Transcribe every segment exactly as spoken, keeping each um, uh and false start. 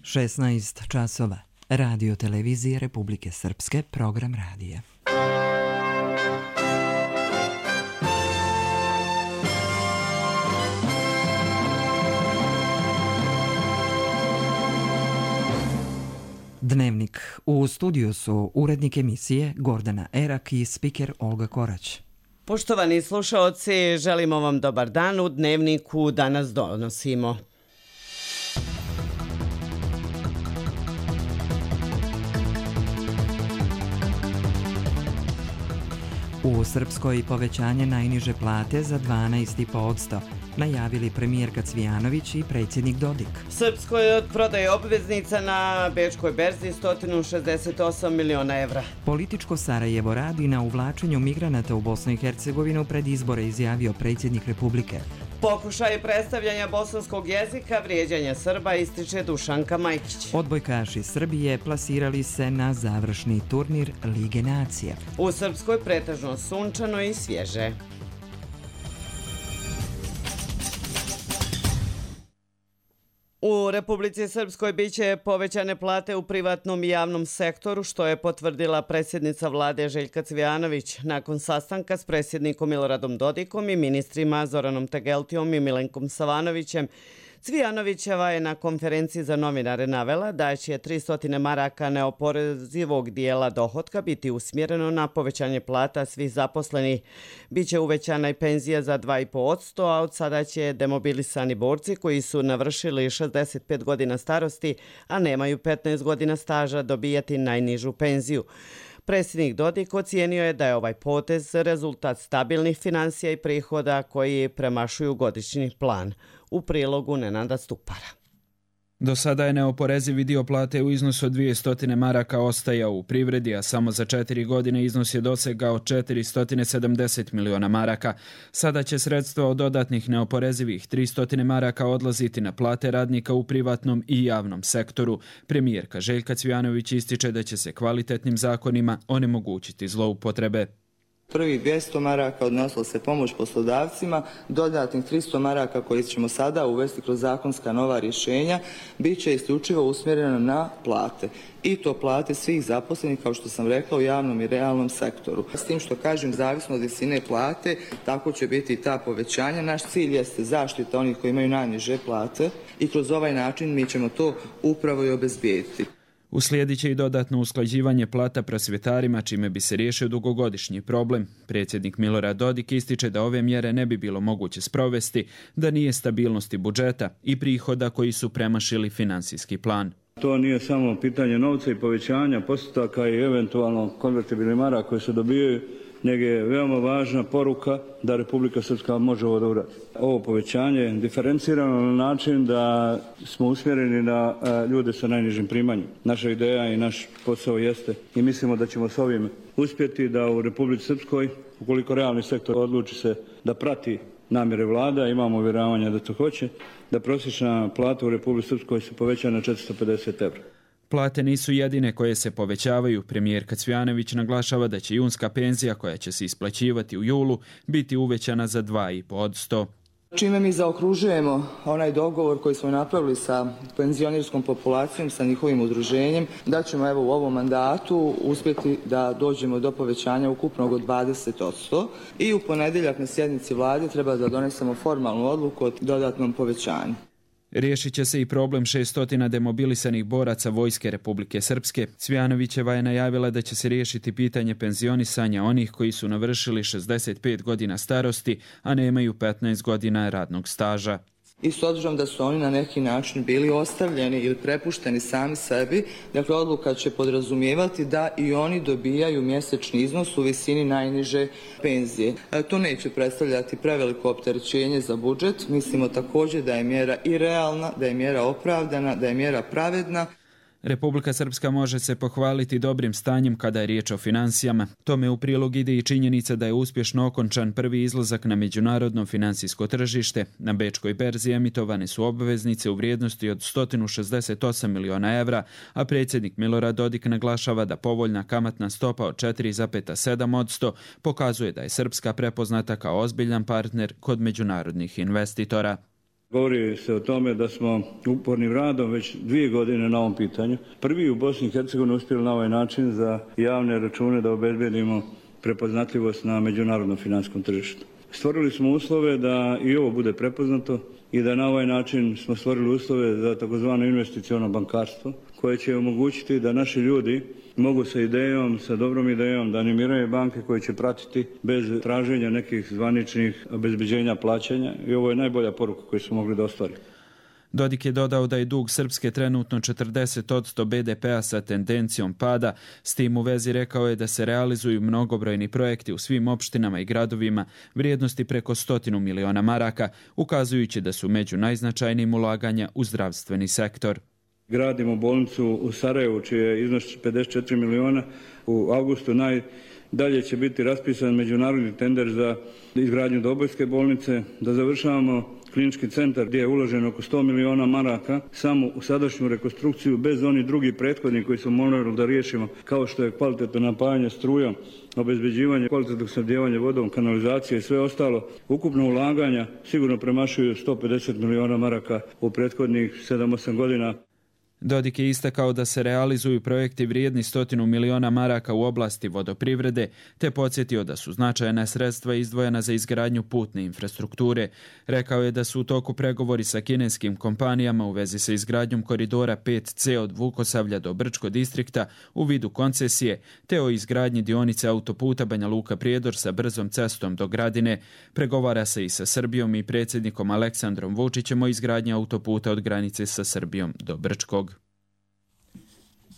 šesnaest časova. Radio televizije Republike Srpske, program radija. Dnevnik. U studiju su urednik emisije Gordana Erak i spiker Olga Korać. Poštovani slušaoci, želimo vam dobar dan. U Dnevniku danas donosimo. U Srpskoj povećanje najniže plate za dvanaest zarez pet posto, najavili premijerka Cvijanović i predsjednik Dodik. Srpskoj od prodaje obveznica na Bečkoj berzi sto šezdeset osam miliona evra. Političko Sarajevo radi na uvlačenju migranata u Bosnu i Hercegovinu pred izbore, izjavio predsjednik Republike. Pokušaj predstavljanja bosanskog jezika, vrijeđanja Srba, ističe Dušanka Majkić. Odbojkaši Srbije plasirali se na završni turnir Lige nacija. U Srpskoj pretežno sunčano i svježe. U Republici Srpskoj biće povećane plate u privatnom i javnom sektoru, što je potvrdila predsjednica vlade Željka Cvijanović nakon sastanka s predsjednikom Miloradom Dodikom i ministrima Zoranom Tegeltijom i Milenkom Savanovićem. Cvijanovićeva je na konferenciji za novinare navela da će tristo maraka neoporezivog dijela dohotka biti usmjereno na povećanje plata svih zaposlenih. Biće uvećana i penzija za dva zarez pet posto, a od sada će demobilisani borci koji su navršili šezdeset pet godina starosti, a nemaju petnaest godina staža, dobijati najnižu penziju. Predsjednik Dodik ocijenio je da je ovaj potez rezultat stabilnih financija i prihoda koji premašuju godišnji plan. U prilogu Nenada Stupara. Do sada je neoporezivi dio plate u iznosu od dvjesto maraka ostajao u privredi, a samo za četiri godine iznos je dosegao četiristo sedamdeset miliona maraka. Sada će sredstva od dodatnih neoporezivih tristo maraka odlaziti na plate radnika u privatnom i javnom sektoru. Premijerka Željka Cvijanović ističe da će se kvalitetnim zakonima onemogućiti zloupotrebe. Prvih dvjesto maraka odnosilo se pomoć poslodavcima, dodatnih tristo maraka koji ćemo sada uvesti kroz zakonska nova rješenja bit će isključivo usmjereno na plate. I to plate svih zaposlenih, kao što sam rekla, u javnom i realnom sektoru. S tim što kažem, zavisno od visine plate, tako će biti i ta povećanja. Naš cilj jeste zaštita onih koji imaju najniže plate i kroz ovaj način mi ćemo to upravo i obezbijediti. Uslijedit će i dodatno usklađivanje plata prosvjetarima, čime bi se riješio dugogodišnji problem. Predsjednik Milorad Dodik ističe da ove mjere ne bi bilo moguće sprovesti da nije stabilnosti budžeta i prihoda koji su premašili financijski plan. To nije samo pitanje novca i povećanja postotaka i eventualno konvertibilnih maraka koje se dobijaju, nego je veoma važna poruka da Republika Srpska može ovo da uradi. Ovo povećanje je diferencirano na način da smo usmjereni na ljude sa najnižim primanjem. Naša ideja i naš posao jeste i mislimo da ćemo s ovim uspjeti da u Republici Srpskoj, ukoliko realni sektor odluči se da prati namjere vlada, imamo uvjeravanja da to hoće, da prosječna plata u Republici Srpskoj se poveća na četiristo pedeset evra. Plate nisu jedine koje se povećavaju. Premijerka Cvijanović naglašava da će junska penzija koja će se isplaćivati u julu biti uvećana za dva zarez pet posto. Čime mi zaokružujemo onaj dogovor koji smo napravili sa penzionerskom populacijom, sa njihovim udruženjem, da ćemo evo u ovom mandatu uspjeti da dođemo do povećanja ukupnog od dvadeset posto i u ponedjeljak na sjednici vlade treba da donesemo formalnu odluku o dodatnom povećanju. Riješit će se i problem šesnaest demobilisanih boraca Vojske Republike Srpske. Cvijanovićeva je najavila da će se riješiti pitanje penzionisanja onih koji su navršili šezdeset pet godina starosti, a nemaju petnaest godina radnog staža. I s obzirom da su oni na neki način bili ostavljeni ili prepušteni sami sebi, dakle odluka će podrazumijevati da i oni dobijaju mjesečni iznos u visini najniže penzije. To neće predstavljati preveliko opterećenje za budžet. Mislimo također da je mjera i realna, da je mjera opravdana, da je mjera pravedna. Republika Srpska može se pohvaliti dobrim stanjem kada je riječ o finansijama. Tome u prilog ide i činjenica da je uspješno okončan prvi izlazak na međunarodno finansijsko tržište. Na Bečkoj berzi emitovane su obveznice u vrijednosti od sto šezdeset osam miliona evra, a predsjednik Milorad Dodik naglašava da povoljna kamatna stopa od četiri zarez sedam posto pokazuje da je Srpska prepoznata kao ozbiljan partner kod međunarodnih investitora. Govori se o tome da smo upornim radom već dvije godine na ovom pitanju. Prvi u Bosni i Hercegovini uspjeli na ovaj način za javne račune da obezbedimo prepoznatljivost na međunarodnom financijskom tržištu. Stvorili smo uslove da i ovo bude prepoznato i da na ovaj način smo stvorili uslove za takozvano investiciono bankarstvo koje će omogućiti da naši ljudi mogu sa idejom, sa dobrom idejom da animiraju banke koje će pratiti bez traženja nekih zvaničnih obezbeđenja plaćanja i ovo je najbolja poruka koju smo mogli da ostvarimo. Dodik je dodao da je dug Srpske trenutno četrdeset posto be de pea sa tendencijom pada. S tim u vezi rekao je da se realizuju mnogobrojni projekti u svim opštinama i gradovima vrijednosti preko stotinu miliona maraka, ukazujući da su među najznačajnijim ulaganja u zdravstveni sektor. Gradimo bolnicu u Sarajevu, čiji je iznos pedeset četiri miliona. U avgustu najdalje će biti raspisan međunarodni tender za izgradnju Dobojske bolnice, da završavamo klinički centar gdje je uloženo oko sto miliona maraka samo u sadašnju rekonstrukciju bez onih drugih prethodnih koji smo morali da riješimo, kao što je kvalitetno napajanje strujom, obezbeđivanje kvalitetnog snabdijevanja vodom, kanalizacije i sve ostalo. Ukupno ulaganja sigurno premašuju sto pedeset miliona maraka u prethodnih sedam osam godina. Dodik je istakao da se realizuju projekti vrijedni stotinu miliona maraka u oblasti vodoprivrede, te podsjetio da su značajna sredstva izdvojena za izgradnju putne infrastrukture. Rekao je da su u toku pregovori sa kineskim kompanijama u vezi sa izgradnjom koridora pet ce od Vukosavlja do Brčko distrikta u vidu koncesije, te o izgradnji dionice autoputa Banja Luka Prijedor sa brzom cestom do Gradine. Pregovara se i sa Srbijom i predsjednikom Aleksandrom Vučićem o izgradnji autoputa od granice sa Srbijom do Brčkog.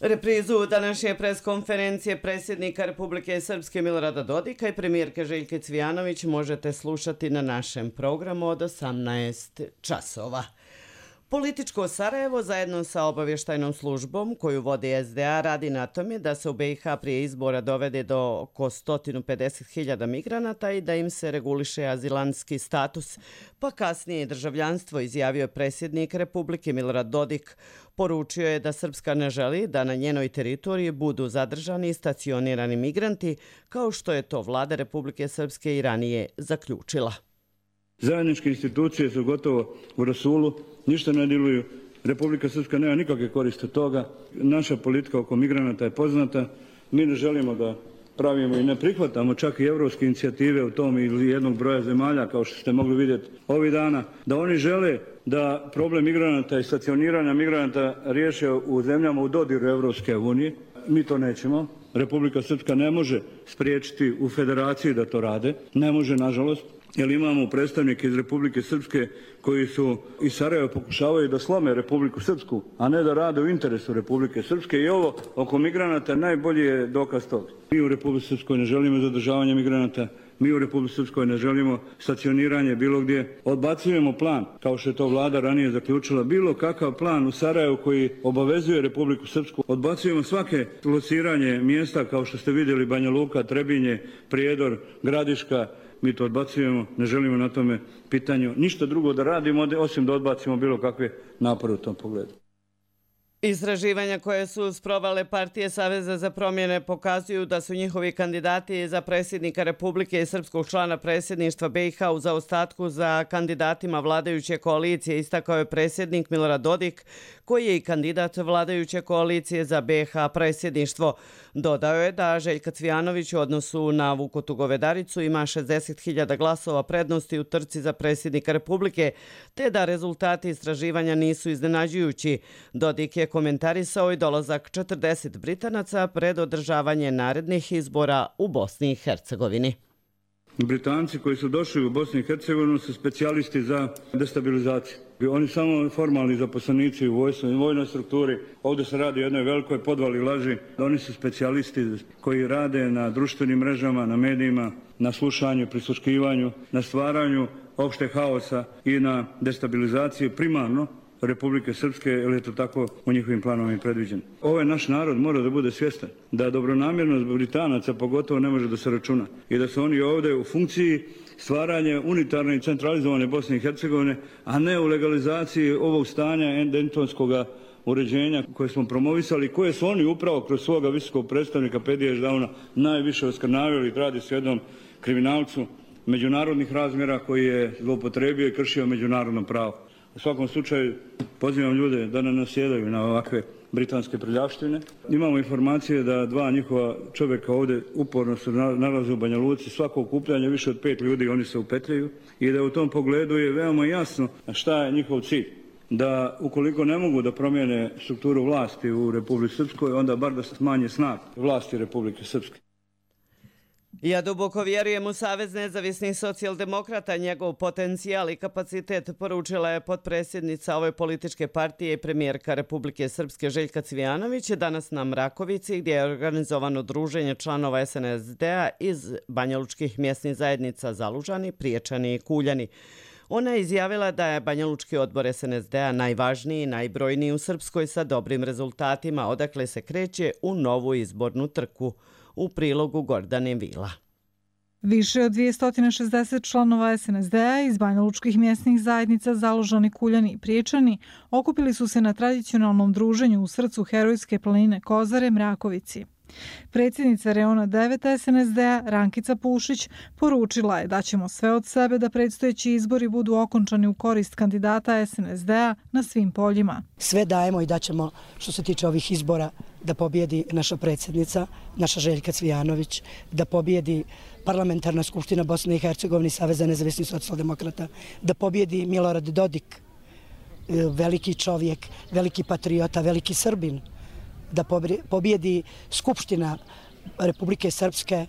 Reprizu današnje preskonferencije predsjednika Republike Srpske Milorada Dodika i premijerke Željke Cvijanović možete slušati na našem programu od osamnaest časova. Političko Sarajevo zajedno sa obavještajnom službom koju vodi es de a radi na tome da se u be i ha prije izbora dovede do oko sto pedeset hiljada migranata i da im se reguliše azilantski status, pa kasnije državljanstvo, izjavio je predsjednik Republike Milorad Dodik. Poručio je da Srpska ne želi da na njenoj teritoriji budu zadržani i stacionirani migranti, kao što je to vlada Republike Srpske i ranije zaključila. Zajedničke institucije su gotovo u rasulu, ništa ne djeluju. Republika Srpska nema nikakve koriste od toga. Naša politika oko migranata je poznata. Mi ne želimo da pravimo i ne prihvatamo čak i evropske inicijative u tom ili jednog broja zemalja, kao što ste mogli vidjeti ovih dana, da oni žele da problem migranata i stacioniranja migranata riješe u zemljama u dodiru Evropske unije. Mi to nećemo. Republika Srpska ne može spriječiti u federaciji da to rade. Ne može, nažalost. Jer imamo predstavnike iz Republike Srpske koji su iz Sarajeva pokušavaju da slome Republiku Srpsku, a ne da rade u interesu Republike Srpske. I ovo oko migranata najbolji je dokaz toga. Mi u Republici Srpskoj ne želimo zadržavanje migranata, mi u Republici Srpskoj ne želimo stacioniranje bilo gdje. Odbacujemo plan, kao što je to vlada ranije zaključila, bilo kakav plan u Sarajevu koji obavezuje Republiku Srpsku. Odbacujemo svake lociranje mjesta kao što ste vidjeli Banja Luka, Trebinje, Prijedor, Gradiška. Mi to odbacujemo, ne želimo na tome pitanju ništa drugo da radimo, osim da odbacimo bilo kakve napore u tom pogledu. Istraživanja koje su sprovale partije Saveza za promjene pokazuju da su njihovi kandidati za predsjednika Republike i srpskog člana predsjedništva be i ha u zaostatku za kandidatima vladajuće koalicije, istakao je predsjednik Milorad Dodik, koji je i kandidat vladajuće koalicije za be i ha predsjedništvo. Dodao je da Željka Cvijanović u odnosu na Vukotu Govedaricu ima šezdeset hiljada glasova prednosti u trci za predsjednika Republike, te da rezultati istraživanja nisu iznenađujući. Dodik je komentarisao i dolazak četrdeset Britanaca pred održavanje narednih izbora u Bosni i Hercegovini. Britanci koji su došli u Bosni i Hercegovinu su specijalisti za destabilizaciju. Oni samo formalni zaposlenici u vojstvu i vojnoj strukturi. Ovdje se radi o jednoj velikoj podvali laži. Oni su specijalisti koji rade na društvenim mrežama, na medijima, na slušanju, prisluškivanju, na stvaranju opšte haosa i na destabilizaciju primarno Republike Srpske, jer je to tako u njihovim planovima predviđeno. Ovaj naš narod mora da bude svjestan da dobronamjernost Britanaca pogotovo ne može da se računa i da su oni ovdje u funkciji stvaranje unitarne i centralizovane Bosne i Hercegovine, a ne u legalizaciji ovog stanja endemtonskog uređenja koje smo promovisali, koje su oni upravo kroz svoga visokog predstavnika Pedija Ždauna najviše oskrnavili. Radi se o jednom kriminalcu međunarodnih razmjera koji je zloupotrebio i kršio međunarodno pravo. U svakom slučaju pozivam ljude da ne nasjedaju na ovakve britanske prljavštine. Imamo informacije da dva njihova čovjeka ovdje uporno se nalaze u Banja Luci, svako okupljanje više od pet ljudi oni se upetljaju i da u tom pogledu je veoma jasno šta je njihov cilj. Da ukoliko ne mogu da promijene strukturu vlasti u Republici Srpskoj, onda bar da se smanje snag vlasti Republike Srpske. Ja duboko vjerujem u Savez nezavisnih socijaldemokrata, njegov potencijal i kapacitet, poručila je potpredsjednica ove političke partije i premijerka Republike Srpske Željka Cvijanović danas na Mrakovici, gdje je organizovano druženje članova S N S D-a iz banjalučkih mjesnih zajednica Zalužani, Priječani i Kuljani. Ona je izjavila da je banjalučki odbor S N S D-a najvažniji i najbrojniji u Srpskoj sa dobrim rezultatima, odakle se kreće u novu izbornu trku. U prilogu Gordane Vila. Više od dvjesto šezdeset članova S N S D-a iz banjalučkih mjesnih zajednica Zalužani, Kuljani i Priječani okupili su se na tradicionalnom druženju u srcu herojske planine Kozare, Mrakovici. Predsjednica Reona devet S N S D-a Rankica Pušić poručila je da ćemo sve od sebe da predstojeći izbori budu okončani u korist kandidata S N S D-a na svim poljima. Sve dajemo i daćemo što se tiče ovih izbora da pobjedi naša predsjednica, naša Željka Cvijanović, da pobjedi Parlamentarna skupština Bosne i Hercegovine Saveza nezavisnih socijaldemokrata, da pobjedi Milorad Dodik, veliki čovjek, veliki patriota, veliki Srbin, da pobjedi Skupština Republike Srpske.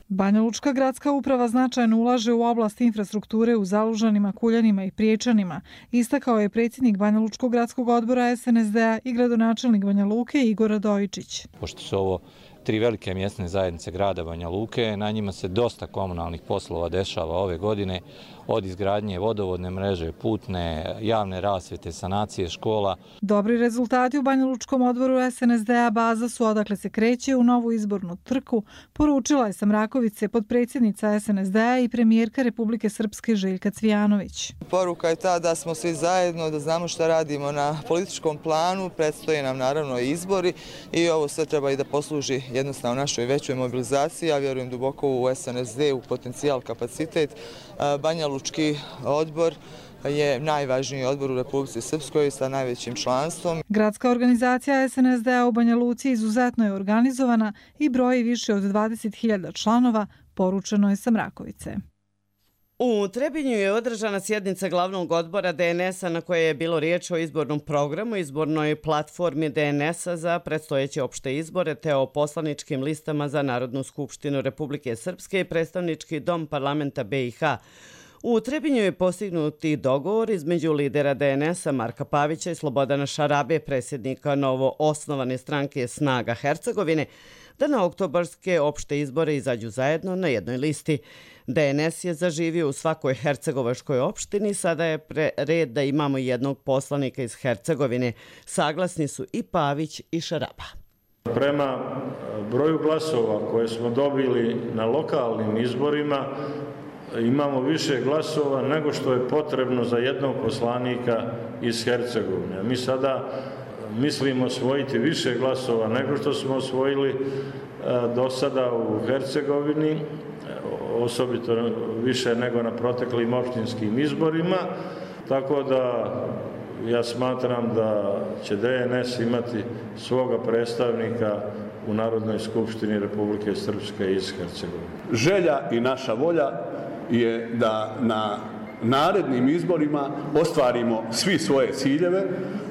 Banjalučka gradska uprava značajno ulaže u oblast infrastrukture u Zalužanima, Kuljanima i Priječanima, istakao je predsjednik Banjalučkog gradskog odbora S N S D-a i gradonačelnik Banja Luke Igor Radojičić. Pošto su ovo tri velike mjesne zajednice grada Banja Luke, na njima se dosta komunalnih poslova dešava ove godine, od izgradnje vodovodne mreže, putne, javne rasvjete, sanacije škola. Dobri rezultati u Banjalučkom odboru S N S D-a baza su odakle se kreće u novu izbornu trku, poručila je sa Mrakovice potpredsjednica S N S D-a i premijerka Republike Srpske Željka Cvijanović. Poruka je ta da smo svi zajedno, da znamo šta radimo na političkom planu, predstoje nam naravno i izbori i ovo sve treba i da posluži jednostavno našoj većoj mobilizaciji. Ja vjerujem duboko u S N S D, u potencijal, kapacitet. Banjalučki odbor je najvažniji odbor u Republici Srpskoj sa najvećim članstvom. Gradska organizacija S N S D-a u Banja Luci izuzetno je organizovana i broji više od dvadeset hiljada članova, poručeno je sa Mrakovice. U Trebinju je održana sjednica glavnog odbora D N S-a na kojoj je bilo riječ o izbornom programu, izbornoj platformi D N S-a za predstojeće opšte izbore te o poslaničkim listama za Narodnu skupštinu Republike Srpske i predstavnički dom parlamenta B i H. U Trebinju je postignuti dogovor između lidera D N S-a Marka Pavića i Slobodana Šarabe, predsjednika novo osnovane stranke Snaga Hercegovine, da na oktobarske opšte izbore izađu zajedno na jednoj listi. D N S je zaživio u svakoj hercegovačkoj opštini, sada je red da imamo jednog poslanika iz Hercegovine. Saglasni su i Pavić i Šaraba. Prema broju glasova koje smo dobili na lokalnim izborima, imamo više glasova nego što je potrebno za jednog poslanika iz Hercegovine. Mi sada mislimo osvojiti više glasova nego što smo osvojili do sada u Hercegovini, osobito više nego na proteklim opštinskim izborima, tako da ja smatram da će D N S imati svoga predstavnika u Narodnoj skupštini Republike Srpske iz Hercegovine. Želja i naša volja je da na narednim izborima ostvarimo svi svoje ciljeve.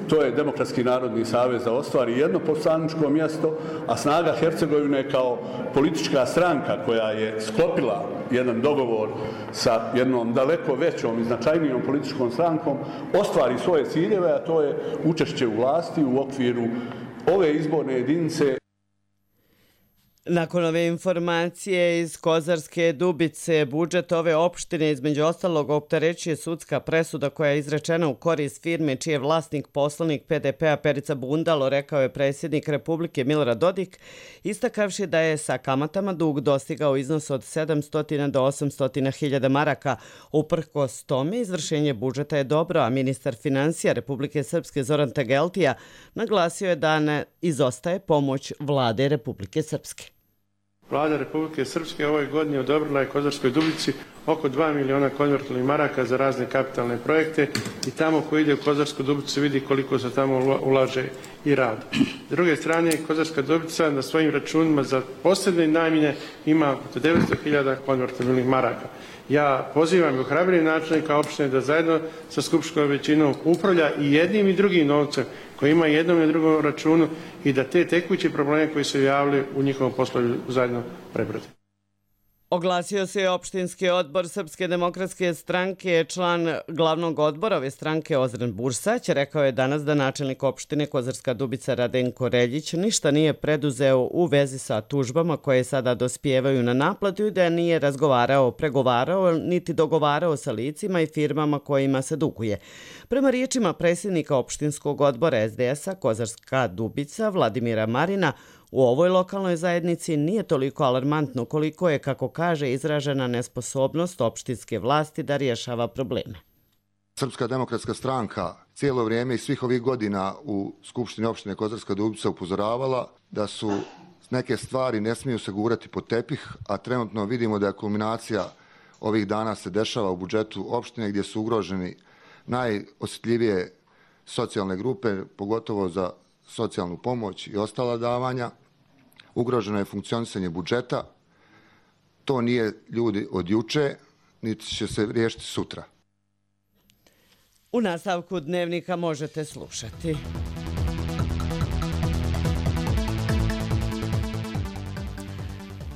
To je Demokratski narodni savez da ostvari jedno poslaničko mjesto, a Snaga Hercegovine kao politička stranka koja je sklopila jedan dogovor sa jednom daleko većom i značajnijom političkom strankom ostvari svoje ciljeve, a to je učešće u vlasti u okviru ove izborne jedinice. Nakon ove informacije iz Kozarske Dubice, budžet ove opštine između ostalog opterećuje sudska presuda koja je izrečena u korist firme čiji je vlasnik poslanik P D P-a Perica Bundalo, rekao je predsjednik Republike Milorad Dodik, istakavši da je sa kamatama dug dostigao iznos od sedamsto do osamsto hiljada maraka. Uprkos tome, izvršenje budžeta je dobro, a ministar finansija Republike Srpske Zoran Tegeltija naglasio je da ne izostaje pomoć vlade Republike Srpske. Vlada Republike Srpske ove godine odobrila je Kozarskoj Dubici oko dva miliona konvertibilnih maraka za razne kapitalne projekte i tamo ko ide u Kozarsku Dubicu vidi koliko se tamo ulaže i radi. S druge strane, Kozarska Dubica na svojim računima za posebne namjene ima oko devetsto hiljada konvertibilnih maraka. Ja pozivam i ohrabrim načelnika opštine da zajedno sa skupštinskom većinom upravlja i jednim i drugim novcem koji ima jednom i drugom računu i da te tekuće probleme koji se javljaju u njihovom poslu zajedno prebrode. Oglasio se je opštinski odbor Srpske demokratske stranke, član glavnog odbora ove stranke Ozren Bursać. Rekao je danas da načelnik opštine Kozarska Dubica Radenko Reljić ništa nije preduzeo u vezi sa tužbama koje sada dospijevaju na naplatu i da nije razgovarao, pregovarao, niti dogovarao sa licima i firmama kojima se duguje. Prema riječima predsjednika opštinskog odbora es de es a Kozarska Dubica Vladimira Marina, u ovoj lokalnoj zajednici nije toliko alarmantno koliko je, kako kaže, izražena nesposobnost opštinske vlasti da rješava probleme. Srpska demokratska stranka cijelo vrijeme i svih ovih godina u Skupštini opštine Kozarska Dubica upozoravala da su neke stvari ne smiju se gurati pod tepih, a trenutno vidimo da je kulminacija ovih dana se dešava u budžetu opštine gdje su ugroženi najosjetljivije socijalne grupe, pogotovo za socijalnu pomoć i ostala davanja. Ugroženo je funkcionisanje budžeta. To nije, ljudi, od juče, niti će se riješiti sutra. U nastavku dnevnika možete slušati.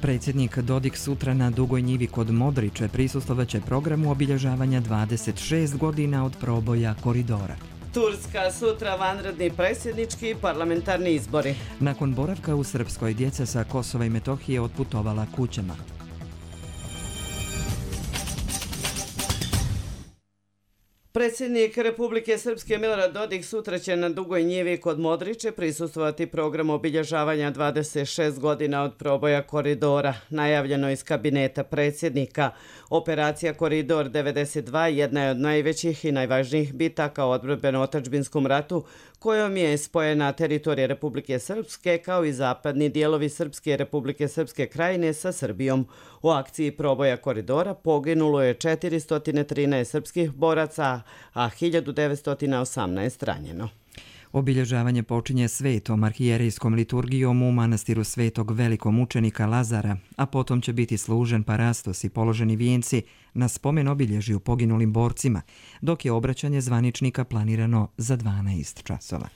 Predsjednik Dodik sutra na Dugoj njivi kod Modriče prisustvovaće programu obilježavanja dvadeset šest godina od proboja koridora. Turska sutra vanredni predsjednički i parlamentarni izbori. Nakon boravka u Srpskoj, djeca sa Kosova i Metohije otputovala kućama. Predsjednik Republike Srpske Milorad Dodik sutra će na Dugoj njivi kod Modriče prisustvovati programu obilježavanja dvadeset šest godina od proboja koridora. Najavljeno iz kabineta predsjednika. Operacija Koridor devedeset dva jedna je od najvećih i najvažnijih bitaka u odbrambeno-otadžbinskom ratu kojom je spojena teritorija Republike Srpske kao i zapadni dijelovi Srpske Republike Srpske krajine sa Srbijom. U akciji proboja koridora poginulo je četiristo trinaest srpskih boraca, a hiljadu devetsto osamnaest ranjeno. Obilježavanje počinje svetom arhijerejskom liturgijom u manastiru svetog velikomučenika Lazara, a potom će biti služen parastos i položeni vijenci na spomen obilježju poginulim borcima, dok je obraćanje zvaničnika planirano za dvanaest časova.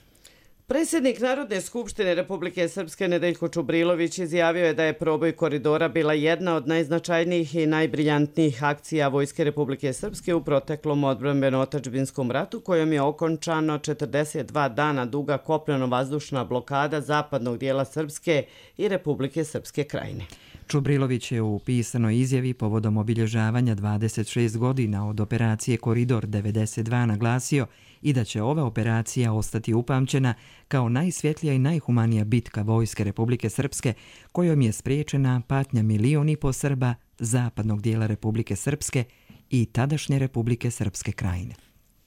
Predsjednik Narodne skupštine Republike Srpske Nedeljko Čubrilović izjavio je da je proboj koridora bila jedna od najznačajnijih i najbriljantnijih akcija Vojske Republike Srpske u proteklom odbrambeno-otadžbinskom ratu kojom je okončano četrdeset dva dana duga kopneno-vazdušna blokada zapadnog dijela Srpske i Republike Srpske krajine. Čubrilović je u pisanoj izjavi povodom obilježavanja dvadeset šest godina od operacije Koridor devedeset dva naglasio i da će ova operacija ostati upamćena kao najsvjetlija i najhumanija bitka Vojske Republike Srpske kojom je spriječena patnja milion i po Srba zapadnog dijela Republike Srpske i tadašnje Republike Srpske krajine.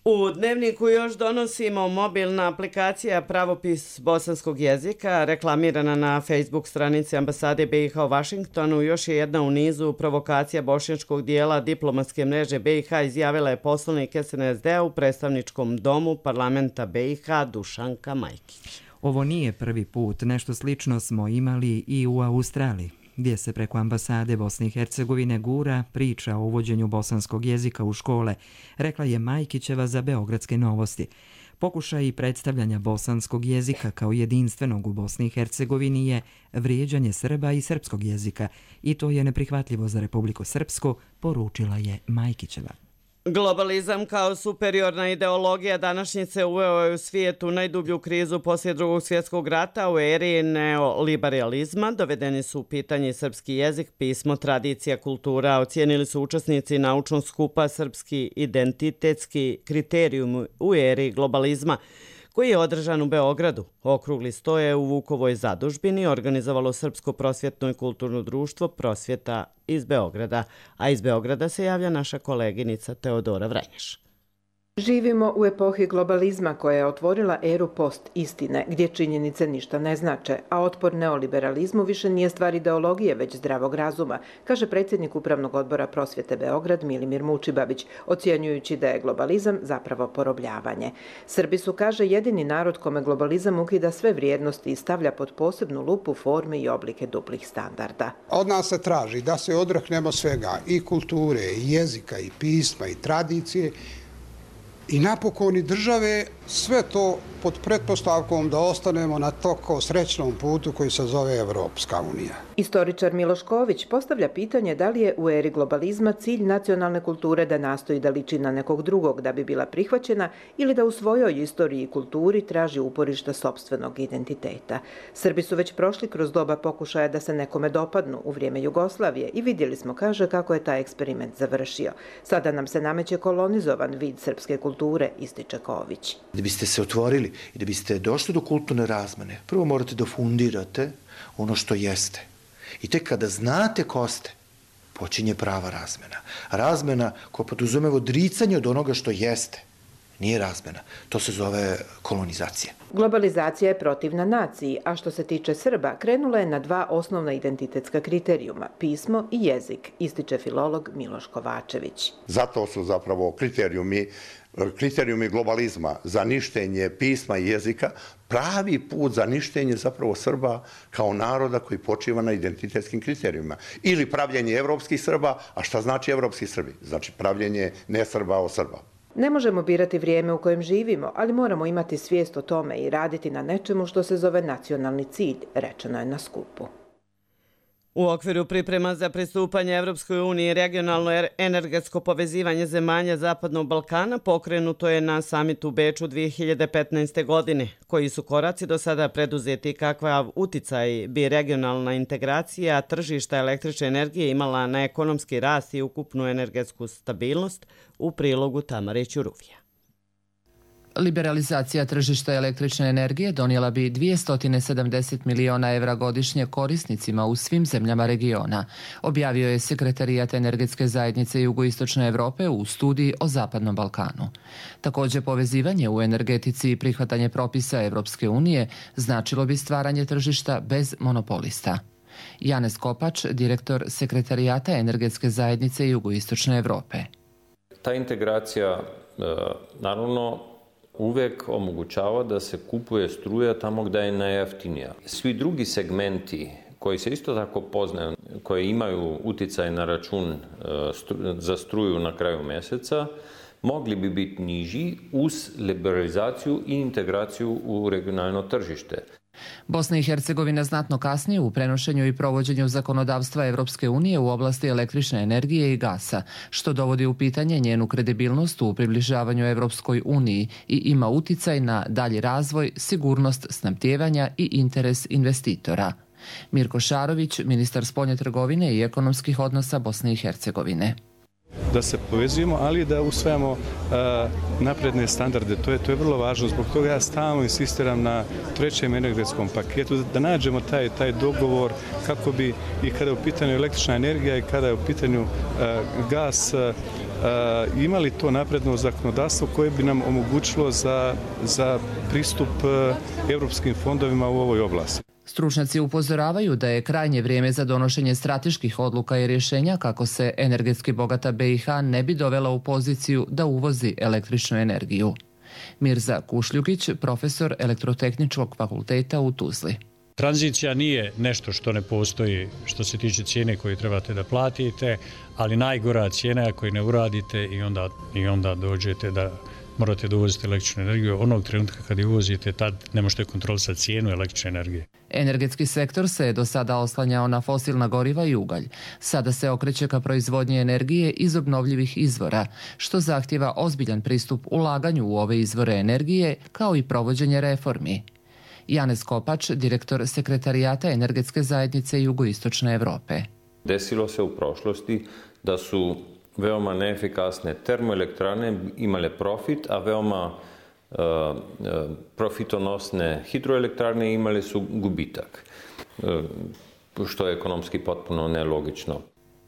U dnevniku još donosimo mobilna aplikacija Pravopis bosanskog jezika, reklamirana na Facebook stranici ambasade be i ha u Vašingtonu. Još je jedna u nizu provokacija bošnjačkog dijela diplomatske mreže be i ha, izjavila je poslanik es en es de a u predstavničkom domu parlamenta be i ha Dušanka Majkić. Ovo nije prvi put, nešto slično smo imali i u Australiji, gdje se preko ambasade Bosne i Hercegovine gura priča o uvođenju bosanskog jezika u škole, rekla je Majkićeva za Beogradske novosti. Pokušaj predstavljanja bosanskog jezika kao jedinstvenog u Bosni i Hercegovini je vrijeđanje Srba i srpskog jezika i to je neprihvatljivo za Republiku Srpsku, poručila je Majkićeva. Globalizam kao superiorna ideologija današnjice uveo je u svijetu najdublju krizu poslije drugog svjetskog rata. U eri neoliberalizma dovedeni su u pitanje srpski jezik, pismo, tradicija, kultura. Ocijenili su učesnici naučnog skupa Srpski identitetski kriterijum u eri globalizma, koji je održan u Beogradu. Okrugli sto je u Vukovoj zadužbini organizovalo Srpsko prosvjetno i kulturno društvo Prosvjeta iz Beograda, a iz Beograda se javlja naša koleginica Teodora Vranješ. Živimo u epohi globalizma koja je otvorila eru post-istine, gdje činjenice ništa ne znače, a otpor neoliberalizmu više nije stvar ideologije, već zdravog razuma, kaže predsjednik Upravnog odbora Prosvjete Beograd Milimir Mučibabić, ocjenjujući da je globalizam zapravo porobljavanje. Srbi su, kaže, jedini narod kome globalizam ukida sve vrijednosti i stavlja pod posebnu lupu forme i oblike duplih standarda. Od nas se traži da se odreknemo svega, i kulture, i jezika, i pisma, i tradicije, i napokon i države, sve to pod pretpostavkom da ostanemo na toko srećnom putu koji se zove Evropska unija. Istoričar Miloš Ković postavlja pitanje da li je u eri globalizma cilj nacionalne kulture da nastoji da liči na nekog drugog da bi bila prihvaćena ili da u svojoj istoriji i kulturi traži uporišta sopstvenog identiteta. Srbi su već prošli kroz doba pokušaja da se nekome dopadnu u vrijeme Jugoslavije i vidjeli smo, kaže, kako je taj eksperiment završio. Sada nam se nameće kolonizovan vid srpske kulture, ističe Ković. Da biste se otvorili i da biste došli do kulturne razmene, prvo morate da fundirate ono što jeste. I tek kada znate ko ste, počinje prava razmena. Razmena koja podrazumeva odricanje od onoga što jeste. Nije razmena. To se zove kolonizacija. Globalizacija je protivna naciji, a što se tiče Srba, krenula je na dva osnovna identitetska kriterijuma, pismo i jezik, ističe filolog Miloš Kovačević. Zato su zapravo kriterijumi kriterijumi globalizma za ništenje pisma i jezika pravi put za ništenje zapravo Srba kao naroda koji počiva na identitetskim kriterijima. Ili pravljenje evropskih Srba, a šta znači evropski Srbi? Znači pravljenje ne Srba o Srba. Ne možemo birati vrijeme u kojem živimo, ali moramo imati svijest o tome i raditi na nečemu što se zove nacionalni cilj, rečeno je na skupu. U okviru priprema za pristupanje Evropskoj uniji i regionalno energetsko povezivanje zemalja Zapadnog Balkana pokrenuto je na samitu u Beču dvije hiljade petnaeste. godine. Koji su koraci do sada preduzeti i kakav uticaj bi regionalna integracija tržišta električne energije imala na ekonomski rast i ukupnu energetsku stabilnost, u prilogu Tamare Ćuruvija. Liberalizacija tržišta električne energije donijela bi dvjesto sedamdeset miliona evra godišnje korisnicima u svim zemljama regiona, objavio je Sekretarijat energetske zajednice Jugoistočne Evrope u studiji o Zapadnom Balkanu. Također, povezivanje u energetici i prihvatanje propisa Evropske unije značilo bi stvaranje tržišta bez monopolista. Janez Kopač, direktor Sekretarijata energetske zajednice Jugoistočne Evrope. Ta integracija, naravno, uvek omogućava da se kupuje struja tamo gdje je najjeftinija. Svi drugi segmenti koji se isto tako poznaju, koji imaju uticaj na račun za struju na kraju mjeseca, mogli bi biti niži uz liberalizaciju i integraciju u regionalno tržište. Bosna i Hercegovina znatno kasni u prenošenju i provođenju zakonodavstva Evropske unije u oblasti električne energije i gasa, što dovodi u pitanje njenu kredibilnost u približavanju Evropskoj uniji i ima uticaj na dalji razvoj, sigurnost snabdijevanja i interes investitora. Mirko Šarović, ministar spoljne trgovine i ekonomskih odnosa Bosne i Hercegovine. Da se povezujemo, ali da usvajamo uh, napredne standarde. To je, to je vrlo važno. Zbog toga ja stalno insistiram na trećem energetskom paketu, da nađemo taj, taj dogovor kako bi i kada je u pitanju električna energija i kada je u pitanju uh, gas uh, imali to napredno zakonodavstvo koje bi nam omogućilo za, za pristup uh, evropskim fondovima u ovoj oblasti. Stručnjaci upozoravaju da je krajnje vrijeme za donošenje strateških odluka i rješenja kako se energetski bogata B i H ne bi dovela u poziciju da uvozi električnu energiju. Mirza Kušljugić, profesor Elektrotehničkog fakulteta u Tuzli. Tranzicija nije nešto što ne postoji što se tiče cijene koju trebate da platite, ali najgora cijena je ako je ne uradite i onda, i onda dođete da morate da uvozite električnu energiju. Onog trenutka kad je uvozite, tad ne možete kontrolisati cijenu električne energije. Energetski sektor se je do sada oslanjao na fosilna goriva i ugalj. Sada se okreće ka proizvodnji energije iz obnovljivih izvora, što zahtjeva ozbiljan pristup ulaganju u ove izvore energije, kao i provođenje reformi. Janez Kopač, direktor Sekretarijata energetske zajednice Jugoistočne Evrope. Desilo se u prošlosti da su veoma neefikasne termoelektrane imale profit, a veoma uh, uh, profitonosne hidroelektrane imale su gubitak, uh, što je ekonomski potpuno nelogično.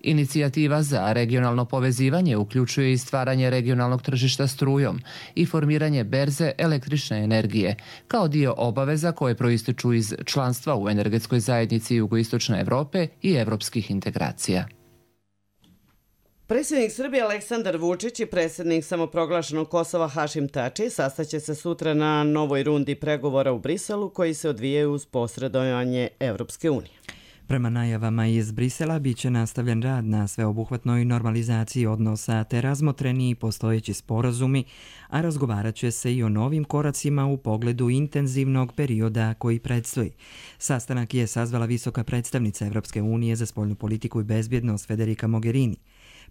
Inicijativa za regionalno povezivanje uključuje i stvaranje regionalnog tržišta strujom i formiranje berze električne energije, kao dio obaveza koje proističu iz članstva u energetskoj zajednici Jugoistočne Evrope i evropskih integracija. Predsjednik Srbije Aleksandar Vučić i predsjednik samoproglašenog Kosova Hašim Tači sastaće se sutra na novoj rundi pregovora u Briselu koji se odvijaju uz posredovanje Evropske unije. Prema najavama iz Brisela biće nastavljen rad na sveobuhvatnoj normalizaciji odnosa te razmotreni i postojeći sporazumi, a razgovarat će se i o novim koracima u pogledu intenzivnog perioda koji predstoji. Sastanak je sazvala visoka predstavnica Evropske unije za spoljnu politiku i bezbjednost Federica Mogherini.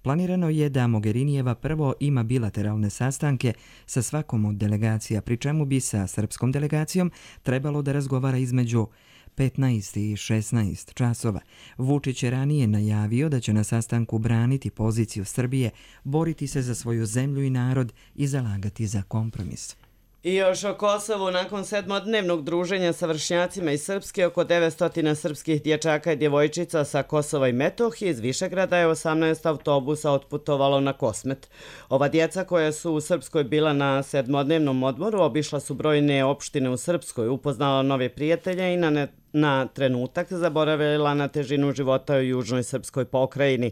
Planirano je da Mogherinijeva prvo ima bilateralne sastanke sa svakom od delegacija, pri čemu bi sa srpskom delegacijom trebalo da razgovara između petnaest i šesnaest časova. Vučić je ranije najavio da će na sastanku braniti poziciju Srbije, boriti se za svoju zemlju i narod i zalagati za kompromis. I još o Kosovu, nakon sedmodnevnog druženja sa vršnjacima iz Srpske, oko devetsto srpskih dječaka i djevojčica sa Kosova i Metohije iz Višegrada je osamnaest autobusa otputovalo na Kosmet. Ova djeca koja su u Srpskoj bila na sedmodnevnom odmoru obišla su brojne opštine u Srpskoj, upoznala nove prijatelje i na ne na trenutak zaboravila na težinu života u južnoj srpskoj pokrajini.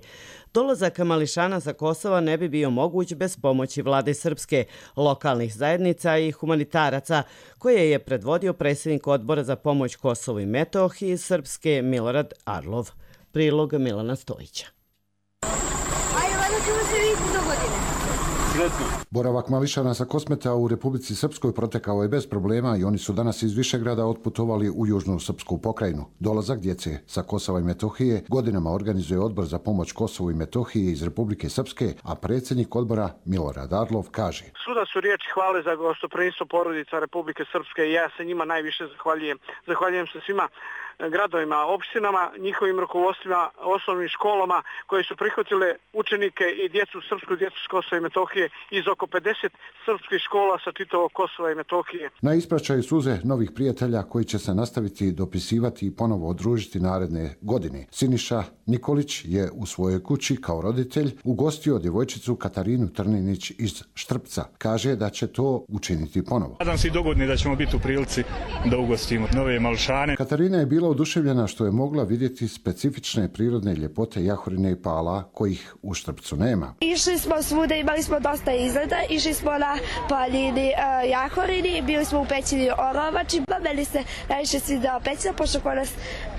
Dolazak mališana sa Kosova ne bi bio moguć bez pomoći vlade Srpske, lokalnih zajednica i humanitaraca, koje je predvodio predsjednik odbora za pomoć Kosovu i Metohiji Srpske Milorad Arlov. Prilog Milana Stojića. Ajde, vada ćemo se vidjeti do godine. Boravak mališana sa Kosmeta u Republici Srpskoj protekao je bez problema i oni su danas iz Višegrada otputovali u južnu srpsku pokrajinu. Dolazak djece sa Kosova i Metohije godinama organizuje odbor za pomoć Kosovu i Metohiji iz Republike Srpske, a predsjednik odbora Milorad Arlov kaže: Svuda su riječi hvale za gostoprimstvo porodica Republike Srpske i ja se njima najviše zahvaljujem. Zahvaljujem se svima gradovima, opštinama, njihovim rukovodstvima, osnovnim školama koje su prihvatile učenike i djecu, srpsku djecu s Kosova i Metohije iz oko pedeset srpskih škola sa čitavog Kosova i Metohije. Na ispraćaju suze novih prijatelja koji će se nastaviti dopisivati i ponovo odružiti naredne godine. Siniša Nikolić je u svojoj kući kao roditelj ugostio djevojčicu Katarinu Trninić iz Štrpca. Kaže da će to učiniti ponovo. Nadam se i dogodni da ćemo biti u prilici da ugostimo nove mališane. Katarina je bila oduševljena što je mogla vidjeti specifične prirodne ljepote Jahorine i Pala kojih u Štrpcu nema. Išli smo svuda, imali smo dosta izgleda, išli smo na planini uh, Jahorini, bili smo u pećini Orovači, pa meni se najviše svidao pećina, pošto kod nas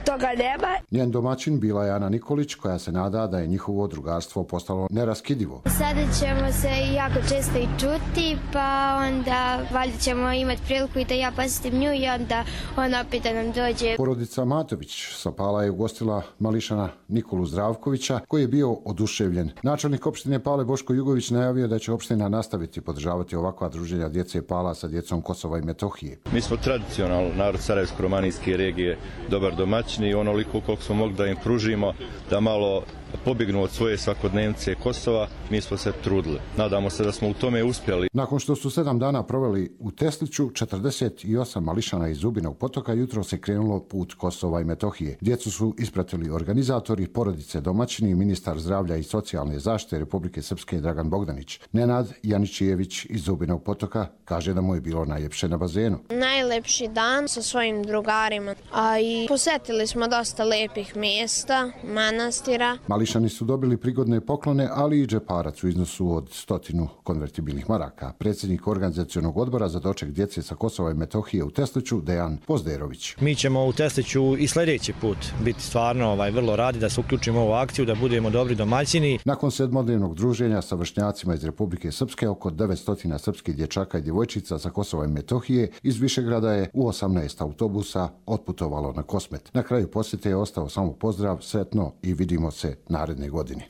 toga nema. Njen domaćin bila je Ana Nikolić, koja se nada da je njihovo drugarstvo postalo neraskidivo. Sada ćemo se jako često i čuti, pa onda valjda ćemo imati priliku i da ja posjetim nju i onda ona opet da nam dođe. Porodica Matović sa Pala je ugostila mališana Nikolu Zdravkovića, koji je bio oduševljen. Načelnik opštine Pale Boško Jugović najavio da će opština nastaviti podržavati ovakva druženja djece Pala sa djecom Kosova i Metohije. Mi smo tradicionalno narod Sarajevsko-romanijske regije, dobar domaćini i onoliko koliko smo mogli da im pružimo da malo pobjegnu od svoje svakodnevnice Kosova, mi smo se trudili. Nadamo se da smo u tome uspjeli. Nakon što su sedam dana proveli u Tesliću, četrdeset osam mališana iz Zubinog potoka jutro se krenulo put Kosova i Metohije. Djecu su ispratili organizatori, porodice domaćini i ministar zdravlja i socijalne zaštite Republike Srpske Dragan Bogdanić. Nenad Janičijević iz Zubinog potoka kaže da mu je bilo najljepše na bazenu. Najlepši dan sa svojim drugarima, a i posjetili smo dosta lepih mjesta, manastira. Mališani su dobili prigodne poklone, ali i džeparac u iznosu od stotinu konvertibilnih maraka. Predsjednik organizacionog odbora za doček djece sa Kosova i Metohije u Tesliću, Dejan Pozderović. Mi ćemo u Tesliću i sljedeći put biti stvarno ovaj, vrlo radi da se uključimo u ovu akciju, da budemo dobri domaćini. Nakon sedmodnevnog druženja sa vršnjacima iz Republike Srpske, oko devetsto srpskih dječaka i djevojčica sa Kosova i Metohije iz Višegrada je u osamnaest autobusa otputovalo na Kosmet. Na kraju posjete je ostao samo pozdrav, sretno i vidimo se naredne godine.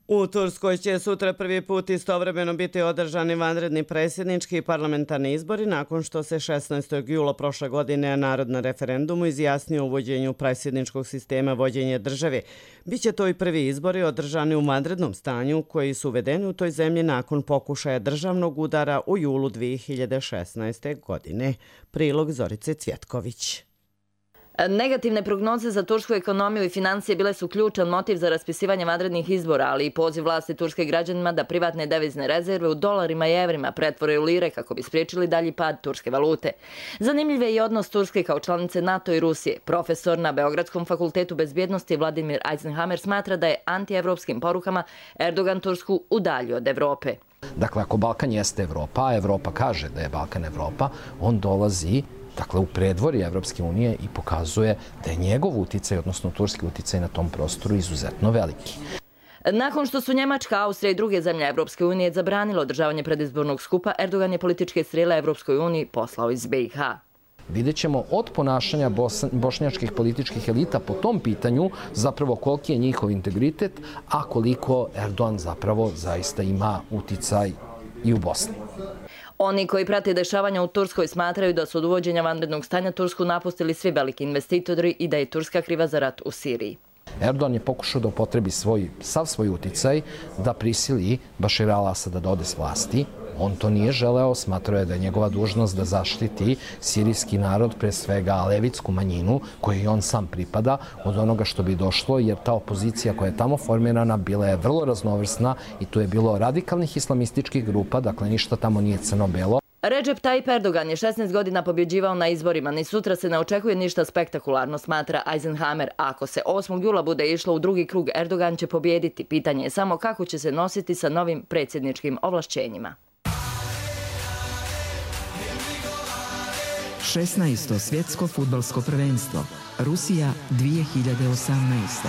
U Turskoj će sutra prvi put istovremeno biti održani vanredni predsjednički i parlamentarni izbori nakon što se šesnaestog jula prošle godine narod na referendumu izjasnio o uvođenju predsjedničkog sistema vođenja države. Biće to i prvi izbori održani u vanrednom stanju koji su uvedeni u toj zemlji nakon pokušaja državnog udara u julu dvije hiljade šesnaeste. godine. Prilog Zorice Cvjetković. Negativne prognoze za tursku ekonomiju i financije bile su ključan motiv za raspisivanje vanrednih izbora, ali i poziv vlasti turske građanima da privatne devizne rezerve u dolarima i evrima pretvore u lire kako bi spriječili dalji pad turske valute. Zanimljiv je i odnos Turske kao članice NATO i Rusije. Profesor na Beogradskom fakultetu bezbjednosti Vladimir Eisenhammer smatra da je antievropskim porukama Erdogan Tursku udaljio od Evrope. Dakle, ako Balkan jeste Evropa, a Evropa kaže da je Balkan Evropa, on dolazi dakle, u predvorje Evropske unije i pokazuje da je njegov uticaj, odnosno turski uticaj na tom prostoru izuzetno veliki. Nakon što su Njemačka, Austrija i druge zemlje Evropske unije zabranilo održavanje predizbornog skupa, Erdogan je političke strele Evropskoj uniji poslao iz B i H. Vidjet ćemo od ponašanja bošnjačkih političkih elita po tom pitanju zapravo koliki je njihov integritet, a koliko Erdogan zapravo zaista ima uticaj i u Bosni. Oni koji prate dešavanja u Turskoj smatraju da su od uvođenja vanrednog stanja Tursku napustili svi veliki investitori i da je Turska kriva za rat u Siriji. Erdogan je pokušao da upotrebi svoj, sav svoj uticaj da prisili Bašira al-Asada da ode s vlasti. On to nije želeo, smatrao je da je njegova dužnost da zaštiti sirijski narod, pre svega alevitsku manjinu, kojoj on sam pripada, od onoga što bi došlo, jer ta opozicija koja je tamo formirana bila je vrlo raznovrsna i tu je bilo radikalnih islamističkih grupa, dakle ništa tamo nije crno-belo. Recep Tayyip Erdogan je šesnaest godina pobjeđivao na izborima, ni sutra se ne očekuje ništa spektakularno, smatra Eisenhammer. Ako se osmog jula bude išlo u drugi krug, Erdogan će pobjediti. Pitanje je samo kako će se nositi sa novim predsjedničkim ovlašćenjima. šesnaesto svjetsko fudbalsko prvenstvo. Rusija dvije hiljade osamnaeste.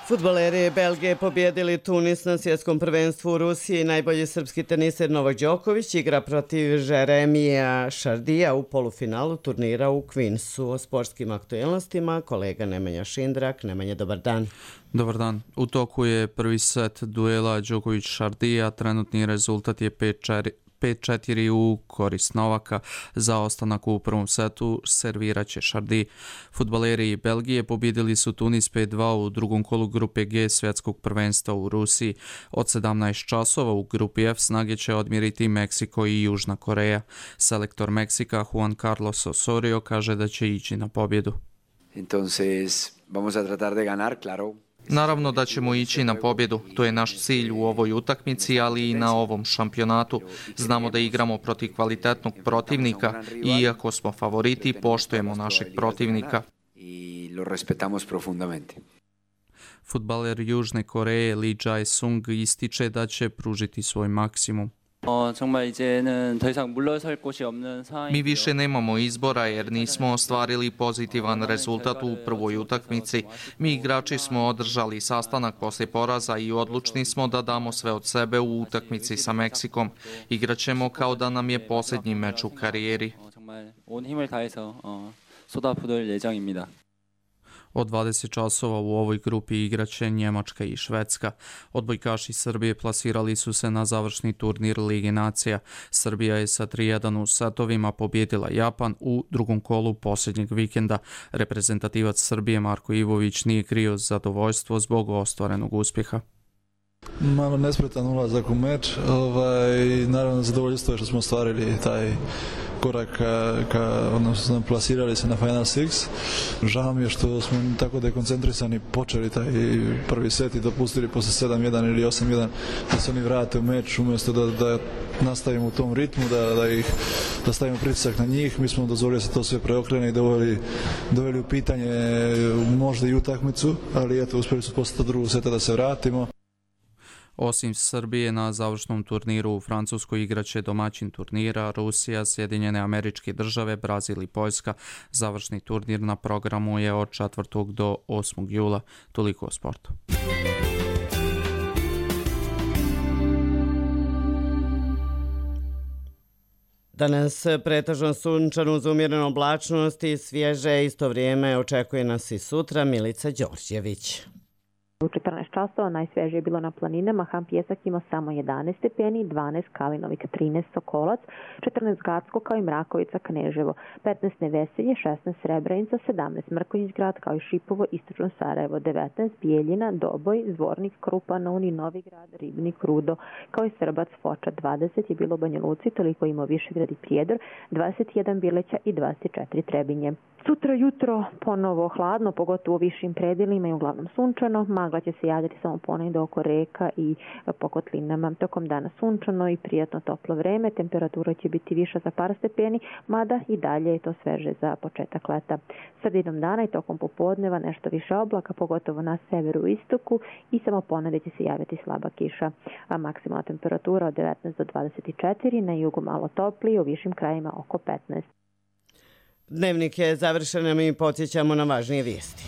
Fudbaleri Belgije pobjedili Tunis na svjetskom prvenstvu u Rusiji. Najbolji srpski teniser Novak Đoković igra protiv Jeremija Šardija u polufinalu turnira u Queensu. O sportskim aktualnostima kolega Nemanja Šindrak. Nemanja, dobar dan. Dobar dan. U toku je prvi set duela Đoković-Šardija. Trenutni rezultat je pet četiri u korist Novaka. Za ostanak u prvom setu serviraće Šardi. Fudbaleri Belgije pobjedili su Tunis pet dva u drugom kolu grupe G svjetskog prvenstva u Rusiji. Od sedamnaest časova u grupi F snage će odmjeriti Meksiko i Južna Koreja. Selektor Meksika Juan Carlos Osorio kaže da će ići na pobjedu. Entonces, vamos a tratar de ganar, claro. Naravno da ćemo ići na pobjedu. To je naš cilj u ovoj utakmici, ali i na ovom šampionatu. Znamo da igramo protiv kvalitetnog protivnika i iako smo favoriti, poštujemo našeg protivnika. Fudbaler Južne Koreje Lee Jae-sung ističe da će pružiti svoj maksimum. Mi više nemamo izbora jer nismo ostvarili pozitivan rezultat u prvoj utakmici. Mi igrači smo održali sastanak poslije poraza i odlučni smo da damo sve od sebe u utakmici sa Meksikom. Igraćemo kao da nam je posljednji meč u karijeri. Od dvadeset časova u ovoj grupi igraće Njemačka i Švedska. Odbojkaši Srbije plasirali su se na završni turnir Lige nacija. Srbija je sa tri jedan u setovima pobjedila Japan u drugom kolu posljednjeg vikenda. Reprezentativac Srbije Marko Ivović nije krio zadovoljstvo zbog ostvarenog uspjeha. Malo nespretan ulazak u meč, ovaj, naravno zadovoljstvo je što smo ostvarili taj korak ka, ka, odnosno smo plasirali se na Final Six. Žao mi je što smo tako dekoncentrisani počeli taj prvi set i dopustili posle sedam jedan ili osam jedan da se oni vrate u meč umjesto da, da nastavimo u tom ritmu, da, da, ih, da stavimo pritisak na njih. Mi smo dozvolili da se to sve preokrene i doveli, doveli u pitanje možda i utakmicu, ali eto, uspjeli su posle drugog seta da se vratimo. Osim Srbije na završnom turniru u Francuskoj igraće domaćin turnira Rusija, Sjedinjene Američke Države, Brazil i Poljska. Završni turnir na programu je od četvrtog do osmog jula. Toliko o sportu. Danas pretežno sunčano uz umjerenu oblačnost i svježe isto vrijeme očekuje nas i sutra. Milica Đorđević. U četrnaest časova najsvežije je bilo na planinama, Ham Pjesak ima samo jedanaest stepeni, dvanaest Kalinovik, trinaest Sokolac, četrnaest Gacko kao i Mrakovica, Kneževo, petnaest Neveselje, šesnaest Srebrenica, sedamnaest Mrkonjić grad kao i Šipovo, istočno Sarajevo, devetnaest Bijeljina, Doboj, Zvornik, Krupa, Novi, Novi grad, Ribnik, Rudo, kao i Srbac, Foča, dvadeset je bilo u Banja Luci, toliko ima Višegrad i Prijedor, dvadeset jedan Bileća i dvadeset četiri Trebinje. Sutra jutro ponovo hladno, pogotovo u višim predjelima i uglavnom sunčano. Magla će se javljati samo ponegdje oko reka i po kotlinama. Tokom dana sunčano i prijatno toplo vreme. Temperatura će biti viša za par stepeni, mada i dalje je to sveže za početak leta. Sredinom dana i tokom popodneva nešto više oblaka, pogotovo na severu i istoku i samo ponegdje će se javiti slaba kiša. A maksimalna temperatura od devetnaest do dvadeset četiri, na jugu malo toplije, u višim krajima oko petnaest. Dnevnik je završen, mi podsjećamo na važnije vijesti.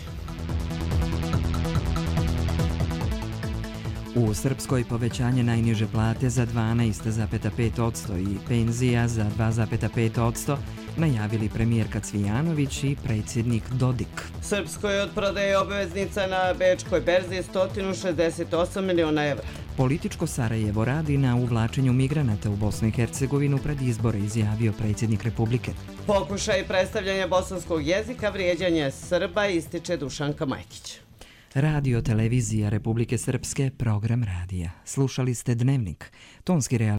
U Srpskoj povećanje najniže plate za dvanaest zarez pet posto i penzija za dva zarez pet posto najavili premijerka Cvijanović i predsjednik Dodik. Srpskoj od prodaje obveznica na Bečkoj berzi sto šezdeset osam miliona evra. Političko Sarajevo radi na uvlačenju migranata u Bosnu i Hercegovinu pred izbore, izjavio predsjednik Republike. Pokušaj predstavljanja bosanskog jezika, vrijeđanje Srba, ističe Dušanka Majkić. Radio Televizija Republike Srpske, program radija. Slušali ste Dnevnik. Tonski realizator